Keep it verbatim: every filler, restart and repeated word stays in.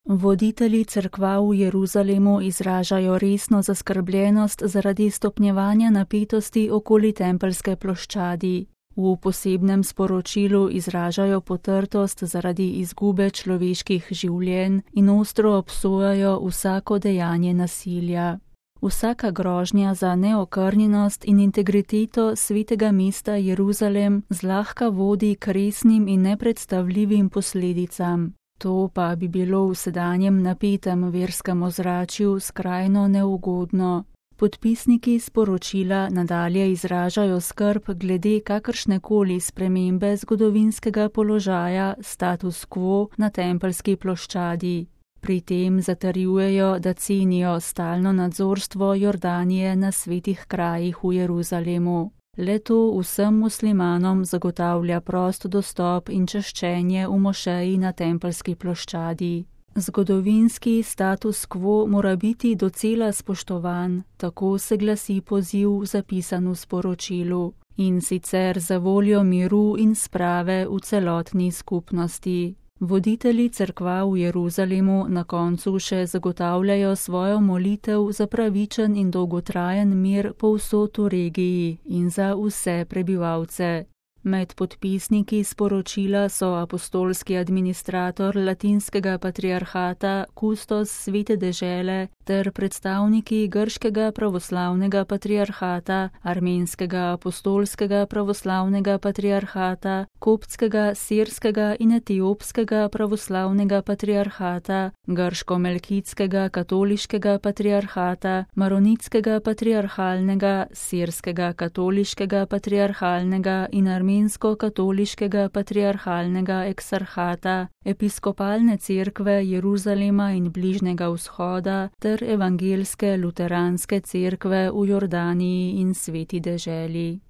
Voditelji cerkva v Jeruzalemu izražajo resno zaskrbljenost zaradi stopnjevanja napetosti okoli Tempeljske ploščadi. V posebnem sporočilu izražajo potrtost zaradi izgube človeških življenj in ostro obsojajo vsako dejanje nasilja. Vsaka grožnja za neokrnjenost in integriteto svetega mesta Jeruzalem zlahka vodi k resnim in nepredstavljivim posledicam. To pa bi bilo v sedanjem napetem verskem ozračju skrajno neugodno. Podpisniki sporočila nadalje izražajo skrb glede kakršnekoli spremembe zgodovinskega položaja status quo na Tempeljski ploščadi. Pri tem zatrjujejo, da cenijo stalno nadzorstvo Jordanije na svetih krajih v Jeruzalemu. Le-to vsem muslimanom zagotavlja prost dostop in čaščenje v mošeji na Tempeljski ploščadi. Zgodovinski status quo mora biti docela spoštovan, tako se glasi poziv zapisan v sporočilu, in sicer za voljo miru in sprave v celotni skupnosti. Voditelji cerkva v Jeruzalemu na koncu še zagotavljajo svojo molitev za pravičen in dolgotrajen mir povsod v regiji in za vse prebivalce. Med podpisniki sporočila so apostolski administrator latinskega patriarhata, kustos svete dežele ter predstavniki grškega pravoslavnega patriarhata, armenskega apostolskega pravoslavnega patriarhata, koptskega, sirskega in etiopskega pravoslavnega patriarhata, grško-melkitskega katoliškega patriarhata, maronitskega patriarhalnega, sirskega katoliškega patriarhalnega in armensko-katoliškega patriarhalnega eksarhata, episkopalne cerkve Jeruzalema in Bližnjega vzhoda ter evangelske luteranske cerkve v Jordaniji in sveti deželi.